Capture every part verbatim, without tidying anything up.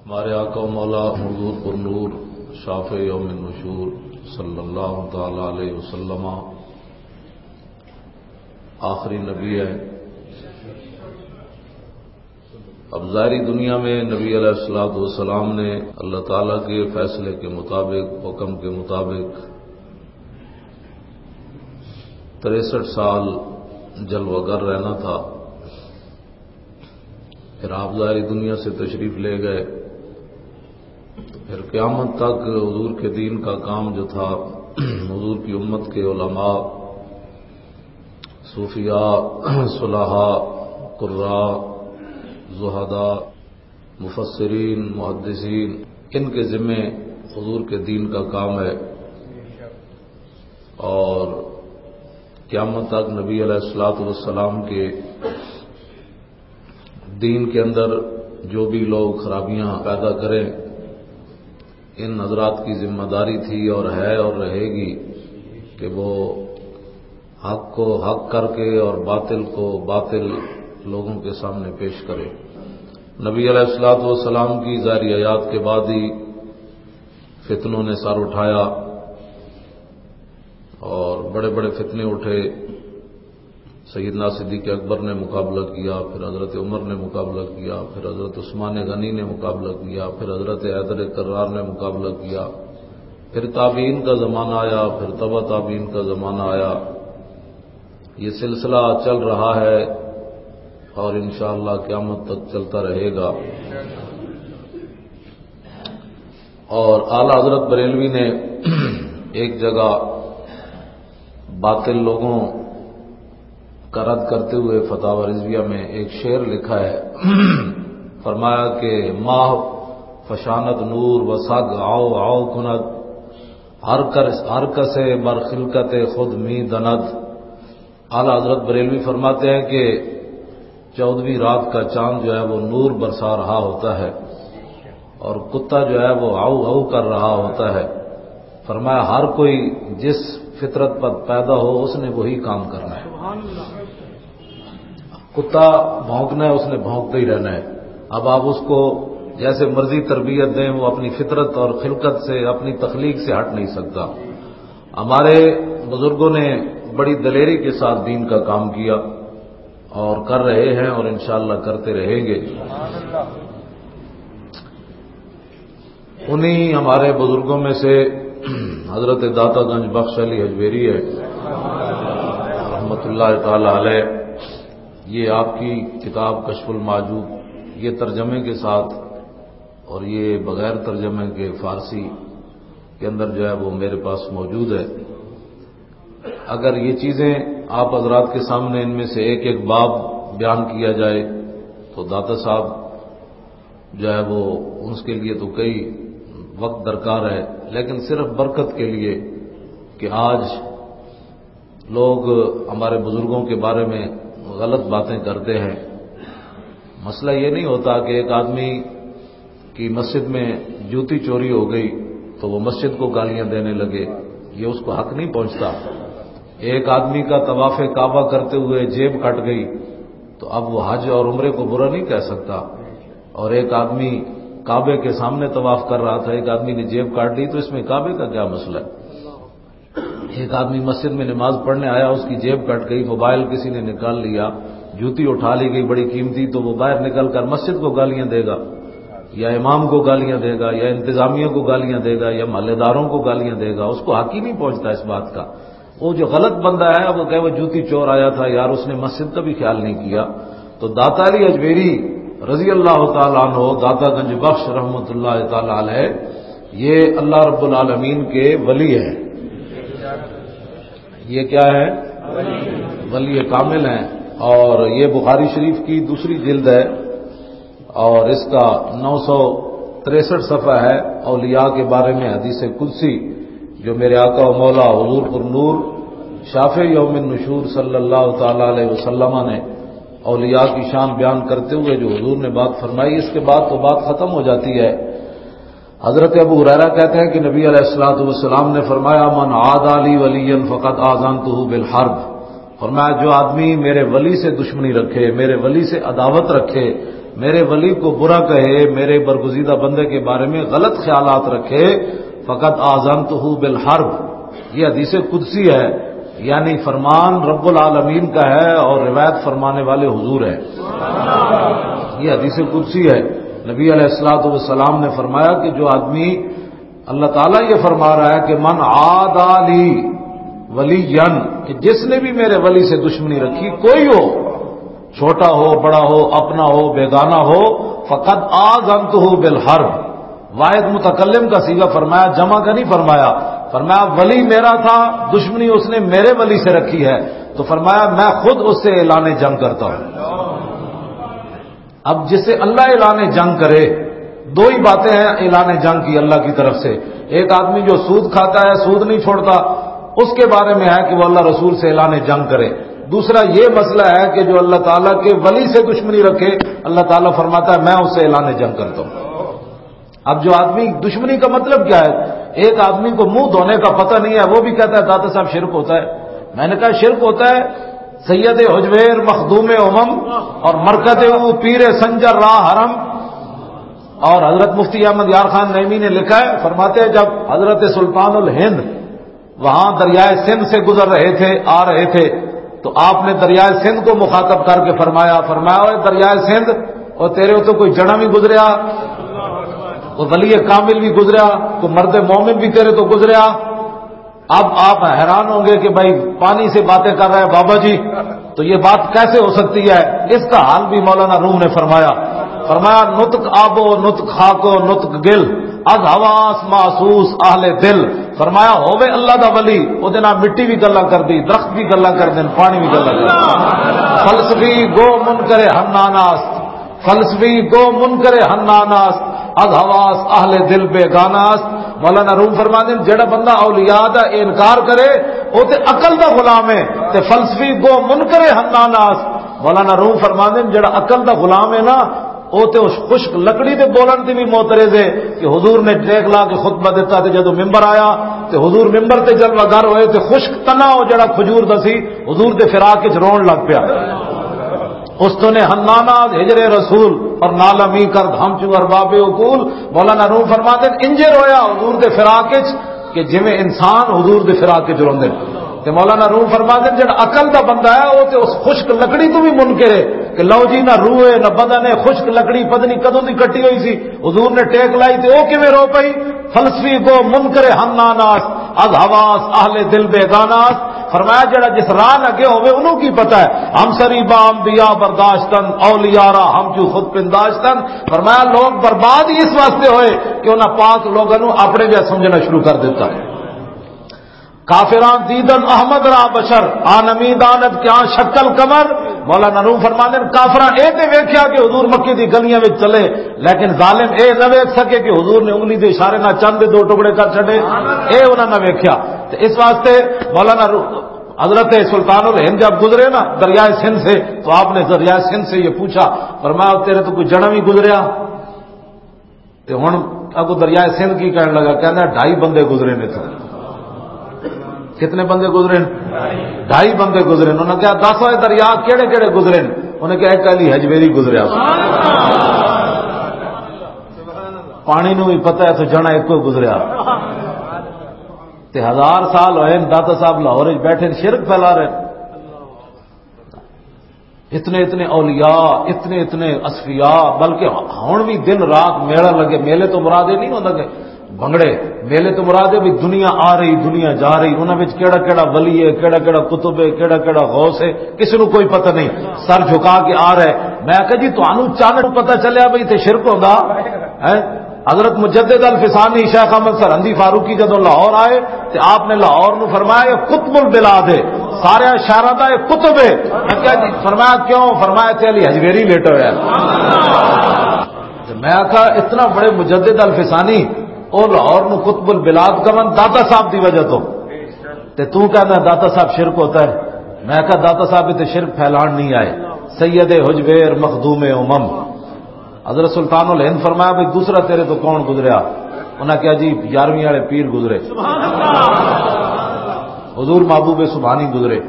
ہمارے آقا و مولا حضور پر نور، شافع یوم النشور صلی اللہ تعالی علیہ وسلم آخری نبی ہے۔ اب ظاہری دنیا میں نبی علیہ الصلوۃ والسلام نے اللہ تعالیٰ کے فیصلے کے مطابق، حکم کے مطابق تریسٹھ سال جلوہ گر رہنا تھا۔ پھر آپ ظاہری دنیا سے تشریف لے گئے، تو پھر قیامت تک حضور کے دین کا کام جو تھا، حضور کی امت کے علماء، صوفیاء، صلحاء، قراء، زہداء، مفسرین، محدثین، ان کے ذمے حضور کے دین کا کام ہے۔ اور قیامت تک نبی علیہ الصلوۃ والسلام کے دین کے اندر جو بھی لوگ خرابیاں پیدا کریں، ان حضرات کی ذمہ داری تھی اور ہے اور رہے گی کہ وہ حق کو حق کر کے اور باطل کو باطل لوگوں کے سامنے پیش کرے۔ نبی علیہ الصلوۃ والسلام کی ظاہری حیات کے بعد ہی فتنوں نے سر اٹھایا اور بڑے بڑے فتنے اٹھے۔ سیدنا صدیق اکبر نے مقابلہ کیا، پھر حضرت عمر نے مقابلہ کیا، پھر حضرت عثمان غنی نے مقابلہ کیا، پھر حضرت حیدر کرار نے مقابلہ کیا، پھر تابعین کا زمانہ آیا، پھر تبع تابعین کا زمانہ آیا۔ یہ سلسلہ چل رہا ہے اور انشاءاللہ قیامت تک چلتا رہے گا۔ اور اعلیٰ حضرت بریلوی نے ایک جگہ باطل لوگوں کا رد کرتے ہوئے فتاوی رضویہ میں ایک شعر لکھا ہے۔ فرمایا کہ ماہ فشاند نور و سگ آؤ آؤ کند، ہر کر-، ہر کسے بر خلقت خود می دند۔ اعلیٰ حضرت بریلوی فرماتے ہیں کہ چودہویں رات کا چاند جو ہے وہ نور برسا رہا ہوتا ہے اور کتا جو ہے وہ ہاؤ ہاؤ کر رہا ہوتا ہے۔ فرمایا، ہر کوئی جس فطرت پر پیدا ہو، اس نے وہی کام کرنا ہے۔ کتا بھونکنا ہے، اس نے بھونکتے ہی رہنا ہے۔ اب آپ اس کو جیسے مرضی تربیت دیں، وہ اپنی فطرت اور خلقت سے، اپنی تخلیق سے ہٹ نہیں سکتا۔ ہمارے بزرگوں نے بڑی دلیری کے ساتھ دین کا کام کیا اور کر رہے ہیں اور انشاءاللہ کرتے رہیں گے۔ انہی ہمارے بزرگوں میں سے حضرت داتا گنج بخش علی ہجویری ہے، رحمت اللہ تعالی علیہ۔ یہ آپ کی کتاب کشف المعجوب، یہ ترجمے کے ساتھ اور یہ بغیر ترجمے کے فارسی کے اندر جو ہے وہ میرے پاس موجود ہے۔ اگر یہ چیزیں آپ حضرات کے سامنے، ان میں سے ایک ایک باب بیان کیا جائے تو داتا صاحب جو ہے وہ، اس کے لیے تو کئی وقت درکار ہے، لیکن صرف برکت کے لیے کہ آج لوگ ہمارے بزرگوں کے بارے میں غلط باتیں کرتے ہیں۔ مسئلہ یہ نہیں ہوتا کہ ایک آدمی کی مسجد میں جوتی چوری ہو گئی تو وہ مسجد کو گالیاں دینے لگے، یہ اس کو حق نہیں پہنچتا۔ ایک آدمی کا طواف کعبہ کرتے ہوئے جیب کٹ گئی تو اب وہ حج اور عمرے کو برا نہیں کہہ سکتا۔ اور ایک آدمی کعبے کے سامنے طواف کر رہا تھا، ایک آدمی نے جیب کاٹ لی، تو اس میں کعبے کا کیا مسئلہ ہے؟ ایک آدمی مسجد میں نماز پڑھنے آیا، اس کی جیب کٹ گئی، موبائل کسی نے نکال لیا، جوتی اٹھا لی گئی بڑی قیمتی، تو وہ باہر نکل کر مسجد کو گالیاں دے گا یا امام کو گالیاں دے گا یا انتظامیہ کو گالیاں دے گا یا محلے داروں کو گالیاں دے گا؟ اس کو حق ہی نہیں پہنچتا اس بات کا۔ وہ جو غلط بندہ ہے، وہ کہے، "وہ جوتی چور آیا تھا یار، اس نے مسجد کا بھی خیال نہیں کیا۔" تو داتا علی اجمیری رضی اللہ تعالیٰ عنہ، داتا گنج بخش رحمۃ اللہ تعالیٰ علیہ، یہ اللہ رب العالمین کے ولی ہیں۔ یہ کیا ہے؟ ولی کامل ہیں۔ اور یہ بخاری شریف کی دوسری جلد ہے اور اس کا نو سو تریسٹھ صفحہ ہے۔ اولیاء کے بارے میں حدیث قدسی جو میرے آقا و مولا حضور پر نور، شافع یوم النشور صلی اللہ تعالیٰ علیہ وسلم نے اولیاء کی شان بیان کرتے ہوئے جو حضور نے بات فرمائی، اس کے بعد تو بات ختم ہو جاتی ہے۔ حضرت ابو ہریرہ کہتے ہیں کہ نبی علیہ الصلوۃ والسلام نے فرمایا، "من عادى لي وليا فقد آذنته بالحرب۔" فرمایا، جو آدمی میرے ولی سے دشمنی رکھے، میرے ولی سے عداوت رکھے، میرے ولی کو برا کہے، میرے برگزیدہ بندے کے بارے میں غلط خیالات رکھے، فقد آذنتہ بالحرب۔ یہ حدیث قدسی ہے، یعنی فرمان رب العالمین کا ہے اور روایت فرمانے والے حضور ہیں۔ یہ حدیث قدسی ہے۔ نبی علیہ الصلوۃ والسلام نے فرمایا کہ جو آدمی، اللہ تعالیٰ یہ فرما رہا ہے کہ من عادی لی ولی، کہ جس نے بھی میرے ولی سے دشمنی رکھی، کوئی ہو، چھوٹا ہو، بڑا ہو، اپنا ہو، بیگانہ ہو، فقد آذنتہ بالحرب۔ واحد متکلم کا صیغہ فرمایا، جمع کا نہیں فرمایا۔ فرمایا، ولی میرا تھا، دشمنی اس نے میرے ولی سے رکھی ہے، تو فرمایا، میں خود اس سے اعلان جنگ کرتا ہوں۔ اب جسے اللہ اعلان جنگ کرے، دو ہی باتیں ہیں اعلان جنگ کی اللہ کی طرف سے۔ ایک آدمی جو سود کھاتا ہے، سود نہیں چھوڑتا، اس کے بارے میں ہے کہ وہ اللہ رسول سے اعلان جنگ کرے۔ دوسرا یہ مسئلہ ہے کہ جو اللہ تعالیٰ کے ولی سے دشمنی رکھے، اللہ تعالیٰ فرماتا ہے، میں اس سے اعلان جنگ کرتا ہوں۔ اب جو آدمی، دشمنی کا مطلب کیا ہے؟ ایک آدمی کو منہ دھونے کا پتہ نہیں ہے، وہ بھی کہتا ہے، داتا صاحب، شرک ہوتا ہے۔ میں نے کہا، شرک ہوتا ہے؟ سید حجویر، مخدوم امم، اور مرکز او پیر سنجر راہ حرم، اور حضرت مفتی احمد یار خان نعیمی نے لکھا ہے، فرماتے ہیں، جب حضرت سلطان الہند وہاں دریائے سندھ سے گزر رہے تھے، آ رہے تھے، تو آپ نے دریائے سندھ کو مخاطب کر کے فرمایا، فرمایا، "اوے دریائے سندھ، او تیرے تو کوئی جنا بھی گزریا، کوئی ولی کامل بھی گزریا، کوئی مرد مومن بھی تیرے تو گزریا۔" اب آپ حیران ہوں گے کہ بھائی، پانی سے باتیں کر رہا ہے بابا جی، تو یہ بات کیسے ہو سکتی ہے؟ اس کا حل بھی مولانا روم نے فرمایا۔ فرمایا، "نطق آب و نطق خاک و نطق گل، از حواس محسوس اہل دل۔" فرمایا، ہووے اللہ دا ولی، او دے نال مٹی بھی گلاں کردی، درخت بھی گلاں کردے، پانی بھی گلاں کردے۔ فلسفی گو منکر حناناست، فلسفی گو منکر حناناست، از حواس اہل دل بیگاناست۔ مولانا روم فرماندے نے، جڑا بندہ اولیاء دا انکار کرے، او تے عقل دا غلام ہے، تے فلسفی گو منکر حناناست۔ مولانا روم فرماندے نے، جڑا عقل دا غلام ہے نا، او تے اس خشک لکڑی دے بولن تے بھی معترض ہے کہ حضور نے ٹیک لا کے خطبہ دیتا تے جدوں ممبر آیا تے حضور ممبر تے جلوہ گر ہوئے تے خشک تنا او جڑا کھجور دا سی، حضور دے فراق وچ رون لگ پیا۔ اس تو نے حنانا ہجر رسول اور نالمی کرد ہم چو ارباب عقول۔ مولانا روم فرماتے ہیں، انجے رویا حضور دے فراق وچ کہ جویں انسان حضور دے فراق وچ روندے۔ تے مولانا روم فرماتے ہیں، جڑا عقل دا بندہ ہے، وہ تے اس خشک لکڑی تو بھی منکر ہے کہ لو جی، نہ روح ہے، نہ بدن ہے، خشک لکڑی پتہ نہیں کدوں دی کٹی ہوئی سی، حضور نے ٹیک لائی تے او کیویں رو پئی؟ فلسفی گو منکر ہم ناناس، از حواس اہل دل بیگاناس۔ فرمایا، جڑا جس راہ لگے ہوئے، انہوں کی پتہ ہے؟ ہم سری با انبیاء برداشتن، اولیاء را ہم جو خود پنداشتن۔ فرمایا، لوگ برباد ہی اس واسطے ہوئے کہ انہاں پاک لوگاں نوں اپنے جہا سمجھنا شروع کر دیتا۔ کافراں دیدن احمد را بشر، آنمی داند کیا شکل قمر۔ مولانا روم فرماندے نے، کافراں اے تے ویکھیا کہ حضور مکے دی گلیاں وچ چلے، لیکن ظالم اے نہ ویکھ سکے کہ حضور نے انگلی دے اشارے نال چند دے دو ٹکڑے کر چھڈے، اے انہاں نہ ویکھیا۔ تے اس واسطے مولانا رو-، حضرت سلطان الہند جب گزرے نا دریائے سندھ سے، تو آپ نے دریائے سندھ سے یہ پوچھا، فرمایا، "تیرے تو کوئی جنا بھی گزریا؟" تے ہن اگوں دریائے سندھ کی کہن لگا، کہندا، "ڈھائی بندے گزرے نے تو۔" کتنے بندے گزرے نے؟ ڈھائی بندے گزرے نے۔ انہاں کہا، "دس، اے دریا کیڑے کیڑے گزرے نے؟" انہاں کہا، "ایک علی حجویری گزریا۔" پانی نو بھی پتہ ہے تو جنا ایک کوئی گزریا۔ تے ہزار سال ہوئے نے، داتا صاحب لاہور وچ بیٹھے نے، شرک پھیلا رہے نے۔ اتنے اتنے اولیاء، اتنے اتنے اصفیاء، بلکہ ہن بھی دن رات میلہ لگے۔ میلے تو مراد یہ نہیں ہوتا کہ بنگڑے، میلے تو مراد ہے بھی دنیا آ رہی، دنیا جا رہی، انہاں وچ کیڑا کیڑا ولی ہے، کیڑا کیڑا قطب ہے، کیڑا کیڑا غوث ہے، کسی نو کوئی پتہ نہیں، سر جھکا کے آ رہا ہے۔ میں آکھیا، "جی، تانوں چند پتہ چلیا بھئی تے شرک ہوندا ہے؟" حضرت مجدد الفسانی شیخ احمد سرہندی فاروقی جدوں لاہور آئے تے آپ نے لاہور نو فرمایا، "یہ قطب البلاد ہے، سارے شہراں دا یہ قطب ہے۔" میں کہا، "جی۔" فرمایا، "کیوں؟" فرمایا، "تے علی حجویری لیٹا ہوا ہے۔" تے میں کہا، "اتنا بڑے مجدد الفسانی، او لاہور نو قطب البلاد کہون داتا صاحب دی وجہ تو، تے تو کہنا داتا صاحب شرک ہوتا ہے؟" میں کہا، "داتا صاحب تے شرک پھیلان نہیں آئے، سید حجویر مخدوم امم۔" حضرت سلطان الہند فرمایا، "بھئی، دوسرا تیرے تو کون گزریا؟" انہاں کہا، "جی، یارویں والے پیر گزرے۔" حضور محبوب سبحانی گزرے۔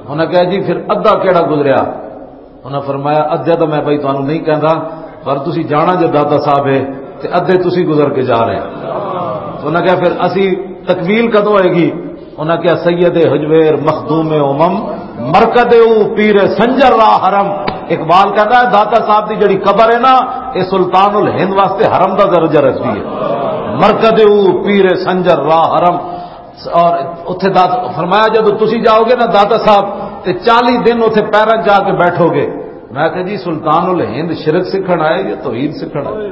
انہاں کہا، "جی، پھر ادھا کیڑا گزریا؟" انہاں فرمایا، "ادھا تو میں بھائی تانوں نہیں کہندا، پر تسی جانا جو داتا صاحب ہے، تے ادھے تسی گزر کے جا رہے ہیں۔ تو انہاں کہا، "پھر اسی تکمیل کدوں ہوئے گی؟" انہاں کہا، "سید حجویر مخدوم امم، مرکد او پیر سنجر را حرم۔" اقبال کہتا ہے، داتا صاحب دی جڑی قبر ہے نا، اے سلطان الہند واسطے حرم دا درجہ رکھدی ہے۔ "مرکد او پیر سنجر را حرم۔" اور اتھے دات-، فرمایا، "جدوں تسی جاؤ گے نا داتا صاحب، تے چالی دن اتھے پیراں جا کے بیٹھو گے۔" میں کہا، "جی، سلطان الہند شرک سکھن آئے یا توحید سکھن آئے؟"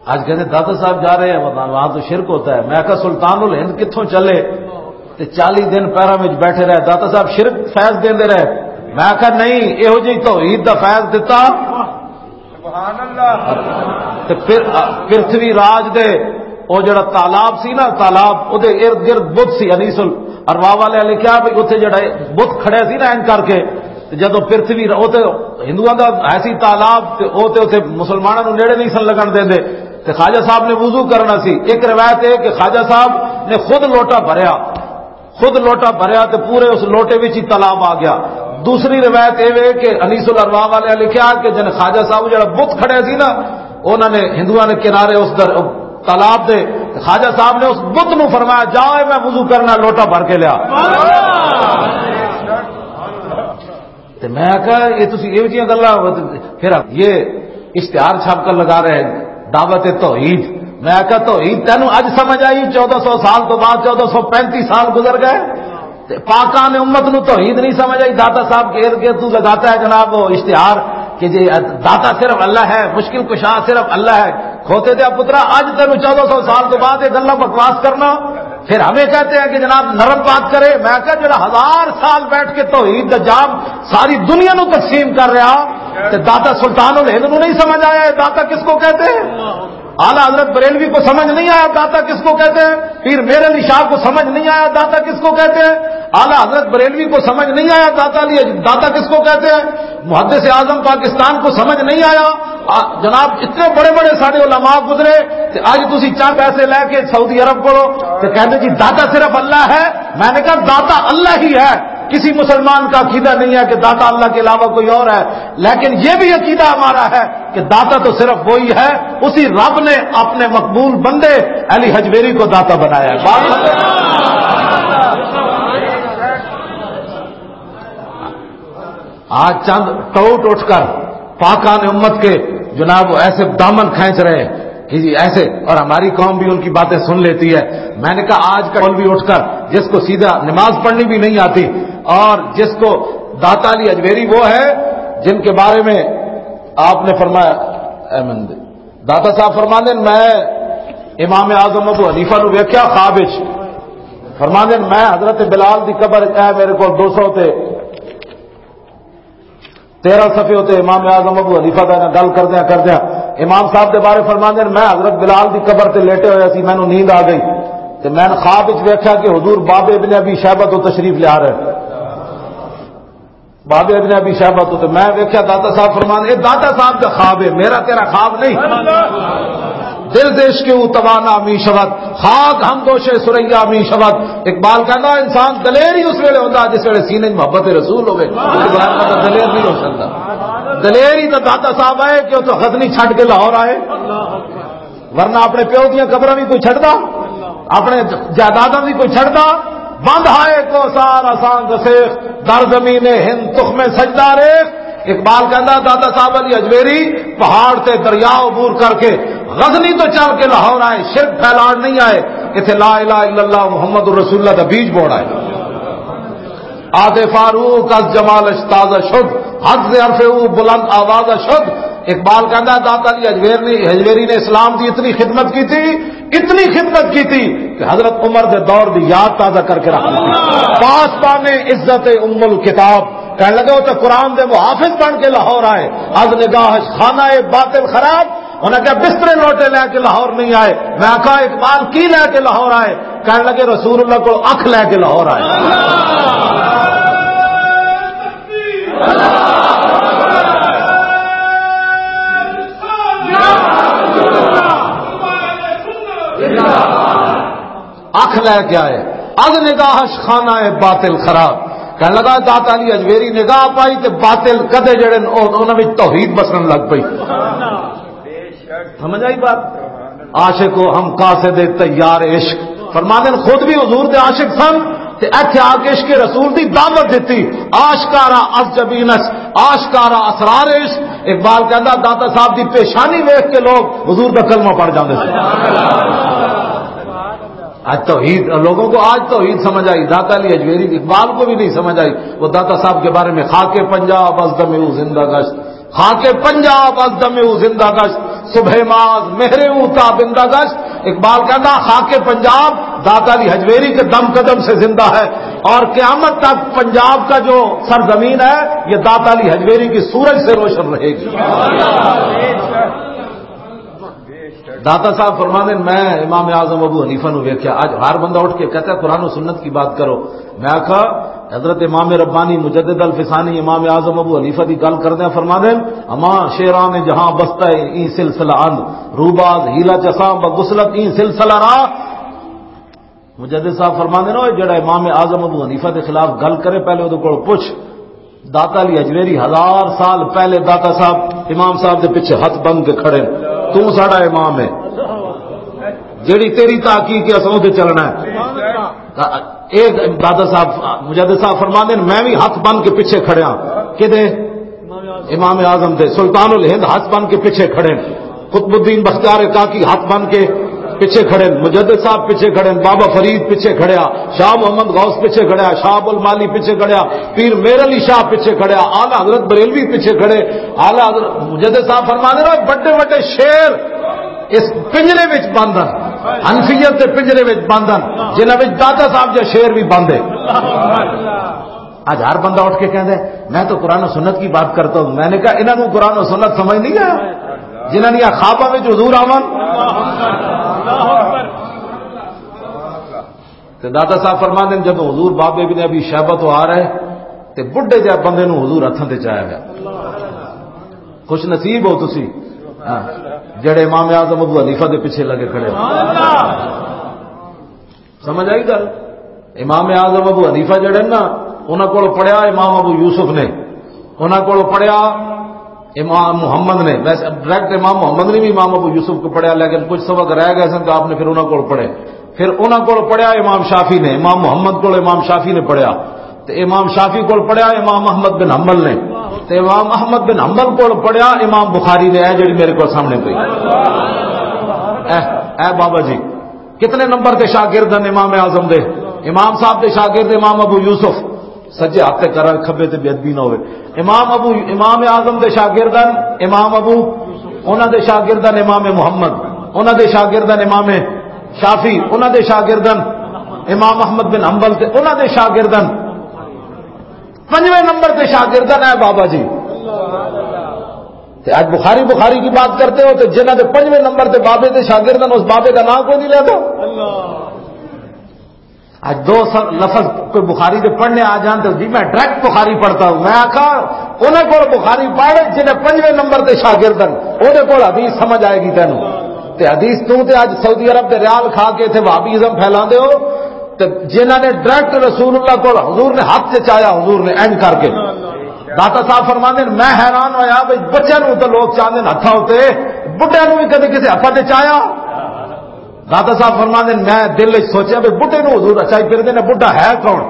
آج کہتے ہیں، "داتا صاحب جا رہے ہیں وہاں، وہاں تو شرک ہوتا ہے۔" میں کہا، "سلطان الہند کتھوں چلے تے چالی دن پیراں وچ بیٹھے رہے، داتا صاحب شرک فیض دیندے رہے؟" میں کہا، "نہیں، یہو جی توحید دا فیض دتا۔" سبحان اللہ۔ تے پھر، پرتھوی راج دے او جڑا تالاب سی نا، تالاب، او دے ارد گرد بت سی، انیس الارواح والے لکھیا بھی اتھے جڑا بت کھڑے سی نا، این کر کے، تے جدوں پرتھوی را-، او تے ہندوؤں دا ایسی تالاب، تے او تے اتھے مسلماناں نوں نیڑے نہیں سن لگن دیندے۔ تے خواجہ صاحب نے وضو کرنا سی۔ ایک روایت ہے کہ خواجہ صاحب نے خود لوٹا بھریا، خود لوٹا بھریا تے پورے اس لوٹے وچ ہی تالاب آ گیا۔ دوسری روایت اے وے کہ انیس الارواح والے لکھیا کہ جن خواجہ صاحب جڑا بت کھڑے سی نا، انہاں نے، ہندوؤں نے کنارے اس در-، تالاب دے، تے خواجہ صاحب نے اس بت نو فرمایا، "جا، اے میں وضو کرنا، لوٹا بھر کے لیا۔" تے میں کہا، "یہ تسی ایہو جیاں گلاں۔" پھر یہ اشتہار چھاپ کر لگا رہے ہیں، دعوت توحید۔ میں کہا، "توحید تینوں اج سمجھ آئی؟ چودہ سو سال تو بعد، چودہ سو پینتی سال گزر گئے۔" تے پاکان امت نو توحید نہیں سمجھ آئی۔ داتا صاحب کے ارد گرد تو لگاتا ہے جناب وہ اشتہار کہ جی داتا صرف اللہ ہے، مشکل کشا صرف اللہ ہے۔ کھوتے دیا پترا، اج تینوں چودہ سو سال تو بعد یہ گلاں بکواس کرنا، پھر ہمیں کہتے ہیں کہ جناب نرم بات کرے۔ میں کہا، جڑا ہزار سال بیٹھ کے توحید دا جام ساری دنیا نو تقسیم کر رہا، تے داتا سلطان الہند نو نہیں سمجھ آیا، یہ داتا کس کو کہتے ہیں؟ اعلیٰ حضرت بریلوی کو سمجھ نہیں آیا داتا کس کو کہتے ہیں، پیر میر علی شاہ کو سمجھ نہیں آیا داتا کس کو کہتے ہیں، اعلیٰ حضرت بریلوی کو سمجھ نہیں آیا داتا علی، داتا کس کو کہتے ہیں، محدث اعظم پاکستان کو سمجھ نہیں آیا۔ آ، جناب، اتنے بڑے بڑے سارے علماء گزرے، تے اج تسی چند پیسے لے کے سعودی عرب کو، تے کہندے جی داتا صرف اللہ ہے۔ میں نے کہا، داتا اللہ ہی ہے، کسی مسلمان کا عقیدہ نہیں ہے کہ داتا اللہ کے علاوہ کوئی اور ہے، لیکن یہ بھی عقیدہ ہمارا ہے کہ داتا تو صرف وہی ہے، اسی رب نے اپنے مقبول بندے علی حجویری کو داتا بنایا ہے۔ بات ختم۔ آج چند ٹوٹ اٹھ کر پاکان امت کے جناب وہ ایسے دامن کھینچ رہے ہیں کہ جی ایسے، اور ہماری قوم بھی ان کی باتیں سن لیتی ہے۔ میں نے کہا، آج کا مولوی اٹھ کر جس کو سیدھا نماز پڑھنی بھی نہیں آتی اور جس کو داتا علی اجمیری وہ ہے جن کے بارے میں آپ نے فرمایا، اے مند-، داتا صاحب فرماندے نے، "میں امام اعظم ابو حنیفہ نو ویکھیا خواب وچ۔" فرماندے نے، "میں حضرت بلال دی قبر وچ، اے میرے کول دو سو تے تیرہ صفحے ہوتے امام اعظم ابو حنیفہ دا نال گل کردیاں کردیاں امام صاحب دے بارے فرماندے نے، میں حضرت بلال دی قبر تے لیٹے ہویا سی، مینوں نیند آ گئی تے میں خواب وچ ویکھیا کہ حضور باب ابن ابی شیبہ تو تشریف لیا رہے۔" باب ابن ابی شیبہ تو، تے میں ویکھیا داتا صاحب فرماندے، اے داتا صاحب دا خواب ہے، میرا تیرا خواب نہیں۔ دل دیش کے او توانا می شود، خاک ہم دوشے سریا می شود۔ اقبال کہندا، انسان دلیر ہی اس ویلے ہوندا جس ویلے سینے 'چ محبت رسول ہوے۔ اقبال کہندا دلیر نہیں ہو سکدا۔ دلیر ہی تو داتا صاحب آئے کہ وہ تو غزنی چھڈ کے لاہور آئے، ورنہ اپنے پیو دیاں قبراں بھی کوئی چھڈدا، اپنے جائیداداں بھی کوئی چھڈدا۔ بند ہائے کو سار اساں گسیخ، در زمین ہند تخم سجدہ ریخ۔ اقبال کہندا، داتا صاحب علی اجمیری پہاڑ تے دریا عبور کر کے غزنی تو چل کے لاہور آئے، شرک پھیلان نہیں آئے، اتھے لا الہ الا اللہ محمد رسول اللہ دا بیج بوڑ آئے۔ آتے فاروق از جمالش تازہ شد، حد سے عرف او بلند آوازہ شد۔ اقبال کہندا، داتا علی اجمیری نے، اجمیری نے اسلام دی اتنی خدمت کی تھی، اتنی خدمت کی تھی کہ حضرت عمر دے دور دی یاد تازہ کر کے رکھ دی۔ پاسبان عزت ام الکتاب کہنے لگے، وہ تو قرآن دے محافظ بن کے لاہور آئے۔ از نگاہش خانہ باطل خراب، انہاں کہا، بسترے لوٹے لے کے لاہور نہیں آئے۔ میں کہا، اقبال کی لے کے لاہور آئے؟ کہنے لگے، رسول اللہ کو اکھ لے کے لاہور آئے۔ اکھ لے کے آئے۔ از نگاہش خانہ باطل خراب۔ کہنے لگا، داتا علی اجمیری نگاہ پائی تے باطل کدے جڑے نے، او-، انہاں وچ توحید بسن لگ پئی۔ سمجھ آئی بات؟ عاشق و ہم قاصد تیار عشق۔ فرماندے نے خود بھی حضور دے عاشق سن تے ایتھے آ کے عشق رسول دی دعوت دتی۔ آشکارا از جبینس، آشکارا اسرار عشق۔ اقبال کہندا، داتا صاحب دی پیشانی ویکھ کے لوگ حضور دا کلمہ پڑھ جاندے سن۔ آج توحید، لوگوں کو آج توحید سمجھ آئی، داتا علی اجمیری اقبال کو بھی نہیں سمجھ آئی۔ وہ داتا صاحب کے بارے میں، خاک پنجاب از دم او زندہ گشت، خاک پنجاب از دم او زندہ گشت، صبح ماز مہر او تابندہ گشت۔ اقبال کہتا، خاک پنجاب داتا علی حجویری کے دم قدم سے زندہ ہے، اور قیامت تک پنجاب کا جو سرزمین ہے، یہ داتا علی حجویری کی سورج سے روشن رہے گی۔ داتا صاحب فرماندے نے، میں امام اعظم ابو حنیفہ نو ویکھیا۔ اج ہر بندہ اٹھ کے کہتا ہے، "قرآن و سنت کی بات کرو۔" میں آکھا، حضرت امام ربانی مجدد الفسانی امام اعظم ابو حنیفہ دی گل کردے فرماندے نے، "اما شیران جہاں بستہ این سلسلہ اند، روباز ہیلا چساں بغسلت این سلسلہ را۔" مجدد صاحب فرماندے نے، "او جڑا امام اعظم ابو حنیفہ دے خلاف گل کرے، پہلے اودے کول پوچھ۔" داتا علی اجمیری ہزار سال پہلے داتا صاحب، امام صاحب دے پیچھے ہاتھ بن کے کھڑے۔ تو ساڈا امام ہے، جیڑی تیری تحقیق ہے، اساں اودے چلنا ہے۔ اے داتا صاحب، مجدد صاحب فرماندے نے، میں بھی ہاتھ بن کے پیچھے کھڑیا۔ کدے؟ امام اعظم دے۔ سلطان الہند ہاتھ بن کے پیچھے کھڑے۔ قطب الدین بختیار کاکی ہاتھ بن کے پیچھے کھڑے، مجدد صاحب پیچھے کھڑے، بابا فرید پیچھے کھڑیا، شاہ محمد غوث پیچھے کھڑیا، شاہ ابو المالی پیچھے کھڑیا، پیر میر علی شاہ پیچھے کھڑیا، اعلیٰ حضرت بریلوی پیچھے کھڑے۔ اعلیٰ حضرت مجدد صاحب فرما دے، بڑے بڑے شیر اس پنجرے وچ بند ہیں، حنفیت دے پنجرے وچ بند ہیں، جنہاں وچ داتا صاحب جا شیر بھی بند ہے۔ اج ہر بندہ اٹھ کے کہندا ہے، "میں تو قرآن و سنت کی بات کرتا ہوں۔" میں نے کہا، "انہاں نوں قرآن و سنت سمجھ نہیں آیا، جنہاں دیاں خواباں وچ حضور آون؟" تے داتا صاحب فرماندے نے، جب حضور باب ابن ابی شیبہ تو آ رہے، تے بڈھے جے بندے نوں حضور ہتھاں تے چایا گیا۔ خوش نصیب ہو تسی، ہاں، جڑے امام اعظم ابو حنیفہ دے پیچھے لگے کھڑے ہو۔ سمجھ آئی گل؟ امام اعظم ابو حنیفہ جڑے نا، انہاں کول پڑھیا امام ابو یوسف نے، انہاں کول پڑھیا امام محمد نے۔ ویسے ڈائریکٹ امام محمد نے بھی امام ابو یوسف کو پڑھیا، لیکن کچھ سبق رہ گئے سن تو آپ نے پھر انہاں کول پڑھے۔ پھر انہاں کول پڑھیا امام شافعی نے، امام محمد کول امام شافعی نے پڑھیا، تے امام شافعی کول پڑھیا امام احمد بن حنبل نے، تے امام احمد بن حنبل کول پڑھیا امام بخاری نے۔ اے جڑی میرے کول سامنے پئی، اے، اے بابا جی، کتنے نمبر تے شاگرد ہیں امام اعظم دے؟ امام صاحب دے شاگرد امام ابو یوسف، سجے ہاتھ تے کرا، کھبے تے بے ادبی نہ ہوئے۔ امام ابو، امام اعظم دے شاگرد ہیں امام ابو، انہاں دے شاگرد ہیں امام محمد، انہاں دے شاگرد ہیں امام شافعی، انہاں دے شاگرد ہیں امام احمد بن حنبل، تے انہاں دے شاگرد ہیں پنجویں نمبر تے شاگرد ہیں اے بابا جی۔ تے اج بخاری، بخاری کی بات کرتے ہو، تے جنہاں دے پنجویں نمبر تے بابے دے شاگرد ہیں، اس بابے دا نام کوئی نہیں لیتا۔ اج دو س-، لفظ کوئی بخاری دے پڑھنے آ جان تو جی میں ڈائریکٹ بخاری پڑھتا ہوں۔ میں آکھا، انہاں کول بخاری پڑھ جنہیں پنجویں نمبر تے شاگرد ہیں، انہاں کول حدیث سمجھ آئے گی تینوں۔ تے حدیث تو تے اج سعودی عرب دے ریال کھا کے اتھے وہابیزم پھیلا دے ہو، تے جنہاں نے ڈائریکٹ رسول اللہ کول حضور نے ہاتھ تے چایا، حضور نے اینڈ کر کے۔ داتا صاحب فرماندے نے، میں حیران ہویا بھئی بچے نوں تو لوگ چاہندے نے ہتھاں اتے، بڈھے نوں بھی کدے کسے ہتھاں تے چایا؟ داتا صاحب فرماندے نے، میں دل وچ سوچیا بھی بڈھے نوں حضور اچائی پھردے نے، بڈھا ہے کون؟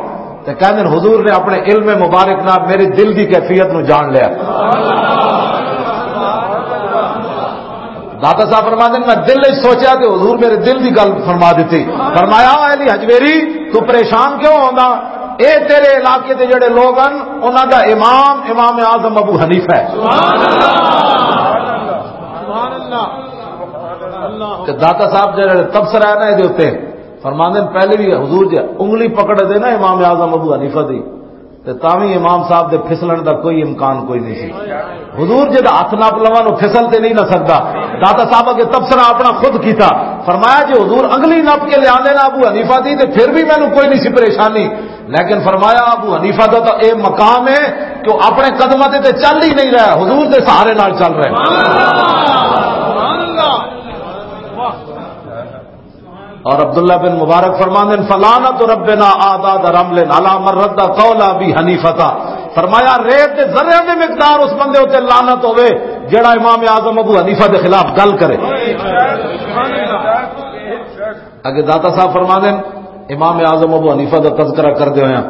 تے کہندے نے، حضور نے اپنے علم مبارک نال میرے دل دی کیفیت نوں جان لیا۔ داتا صاحب فرماندے نے، میں دل وچ سوچیا تے حضور میرے دل دی گل فرما دتی۔ فرمایا، "اے علی حجویری، تو پریشان کیوں ہوندا؟ اے تیرے علاقے دے جڑے لوگ ہن، انہاں دا امام، امام اعظم ابو حنیفہ ہے۔" تے داتا صاحب جڑے تبصرہ ہے نا، اے دے اُتے فرماندے نے، پہلے بھی حضور جے انگلی پکڑ دے نا امام اعظم ابو حنیفہ دی، تے تاں وی امام صاحب دے پھسلن دا کوئی امکان کوئی نہیں سی۔ حضور جے دا ہاتھ نپ لواں، او پھسل تے نہیں نہ سکدا۔ داتا صاحب اگے تبصرہ اپنا خود کیتا، فرمایا، جے حضور انگلی نپ کے لے آندے نا ابو حنیفہ دی، تے پھر بھی مینوں کوئی نہیں سی پریشانی۔ لیکن فرمایا، ابو حنیفہ دا تو اے مقام ہے کہ وہ اپنے قدماں تے، تے چل ہی نہیں رہا، حضور دے سہارے نال چل رہا ہے۔ اور عبداللہ بن مبارک فرماندے نے، "فلعنت ربنا اعداد رمل علی من رد قول ابی حنیفہ تھا۔" فرمایا، "ریت دے ذرے دی مقدار اس بندے اُتے لعنت ہوے، جڑا امام اعظم ابو حنیفہ دے خلاف گل کرے۔" اگے داتا صاحب فرماندے نے، امام اعظم ابو حنیفہ دا تذکرہ کردے ہوئے ہیں،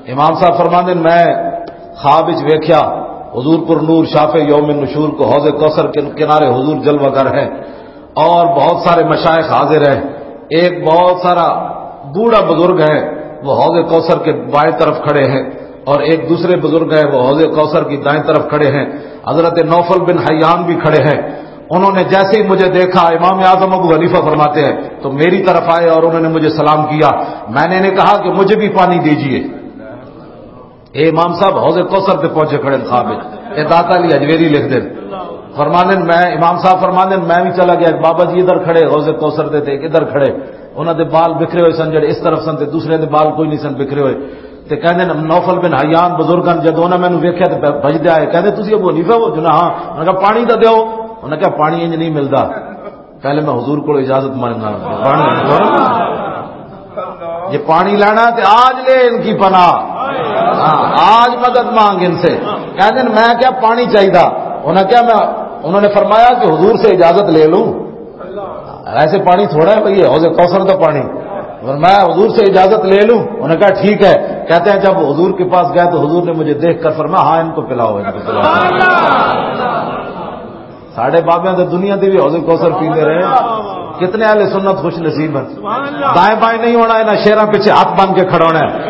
امام صاحب فرماندے نے، میں خواب وچ ویکھیا حضور پر نور شافع یوم نشور کو حوض کوثر کے کنارے حضور جلوہ گر ہے، اور بہت سارے مشائخ حاضر ہیں۔ ایک بہت سارا بوڑھا بزرگ ہے، وہ حوض کوثر کے بائیں طرف کھڑے ہیں، اور ایک دوسرے بزرگ ہیں، وہ حوض کوثر کی دائیں طرف کھڑے ہیں۔ حضرت نوفل بن حیان بھی کھڑے ہیں۔ انہوں نے جیسے ہی مجھے دیکھا، امام اعظم ابو حنیفہ فرماتے ہیں، تو میری طرف آئے اور انہوں نے مجھے سلام کیا۔ میں نے انہیں کہا کہ مجھے بھی پانی دیجیے۔ اے امام صاحب حوض کوثر تے پہنچے کھڑے نے خواب وچ۔ اے داتا علی حجویری لکھ دے۔ فرماندے نے، میں، امام صاحب فرماندے نے، میں بھی چلا گیا، ایک بابا جی ادھر کھڑے حوض کوثر دے تے ایک ادھر کھڑے۔ انہاں دے بال بکھرے ہوئے سن، جڑے اس طرف سن تے دوسرے دے بال کوئی نہیں سن بکھرے ہوئے۔ تے کہندے نے، نوفل بن حیان بزرگاں جدوں انہاں مینوں ویکھیا تے بھجدے آئے، کہندے، "تسی ابو حنیفہ ہو؟" جو نا، ہاں۔ انہاں کہا، "پانی تاں دیو۔" انہاں کہا، "پانی انج نہیں ملدا۔" پہلے میں حضور کو اجازت مانگنا۔ پانی، یہ پانی لینا تے آج لے ان کی پناہ۔ ہاں، آج مدد مانگ ان سے۔ کہتے ہیں، "میں کیا پانی چاہیے؟" انہوں نے کیا، میں، انہوں نے فرمایا کہ حضور سے اجازت لے لوں۔ ایسے پانی تھوڑا ہے بھئی، یہ حوض کوثر کا پانی۔ اور میں حضور سے اجازت لے لوں؟ انہوں نے کہا، "ٹھیک ہے۔" کہتے ہیں، جب حضور کے پاس گیا تو حضور نے مجھے دیکھ کر فرمایا، "ہاں، ان کو پلاؤ، ان کو پلاؤ۔" ساڈے بابیاں تے دنیا دے بھی حوض کوثر پیندے رہے۔ کتنے اہل سنت خوش نصیب ہیں۔ دائیں بائیں نہیں ہونا، انہاں شیراں پیچھے ہاتھ بن کے کھڑا ہونا ہے۔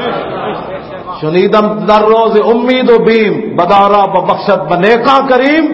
"شنیدم در روز امید و بیم، بدارا ببخشت بنیکاں کریم۔"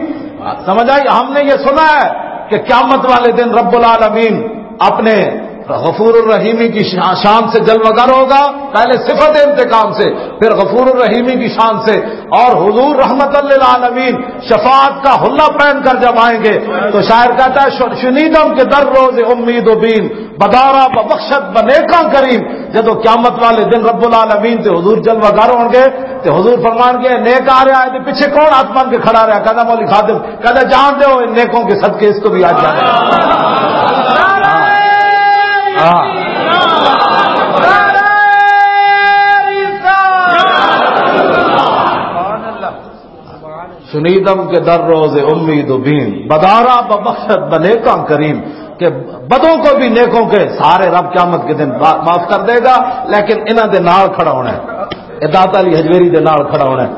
سمجھ آئی؟ ہم نے یہ سنا ہے کہ قیامت والے دن رب العالمین اپنے غفور الرحیمی کی شا-، شان سے جلوگر ہوگا، پہلے صفت انتقام سے، پھر غفور الرحیمی کی شان سے، اور حضور رحمت للعالمین شفاعت کا حلہ پہن کر جب آئیں گے تو شاعر کہتا ہے، "ش-، شنیدم کے در روز امید و بین، بدارا ببخشت بنیکاں کریم۔" جدو قیامت والے دن رب العالمین تے حضور جلوہ گر ہون گے تے حضور فرمان گے، "نیک آ رہا ہے۔" تے پیچھے کون ہاتھ بن کے کھڑا رہا؟ کہتا، "مولی خادم۔" کہتا، "جان دے ہو، ان نیکوں کے صدقے اس کو بھی آج جانا ہے۔" ہاں۔ شنیدم کے در روز امید و بین، بدارا ببخشت بنیکاں کریم، کہ بدوں کو بھی نیکوں کے سارے رب قیامت کے دن با-، معاف کر دے گا، لیکن انہاں دے نال کھڑا ہونا ہے۔ اے داتا علی حجویری دے نال کھڑا ہونا ہے۔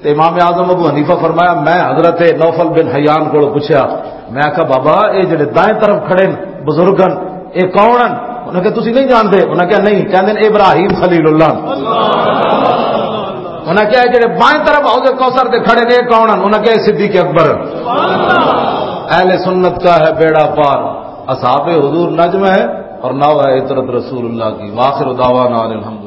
تے امام اعظم ابو حنیفہ فرمایا، میں حضرت نوفل بن حیان کو پوچھا، میں کہا، "بابا، اے جڑے دائیں طرف کھڑے ہیں بزرگن، اے کون ہیں؟" انہاں کہا، "تسی نہیں جانتے؟" انہاں کہا، "نہیں۔" کہندے نے، "ابراہیم خلیل اللہ۔" انہاں کہا، "اے جڑے بائیں طرف حوض کوثر دے کھڑے نے، اے کون ہیں؟" انہاں کہا، "اے صدیق اکبر۔" اہل سنت کا ہے بیڑا پار، اصحاب حضور نجم ہے اور ناو ہے عترت رسول اللہ کی۔ واخر دعوانا ان الحمد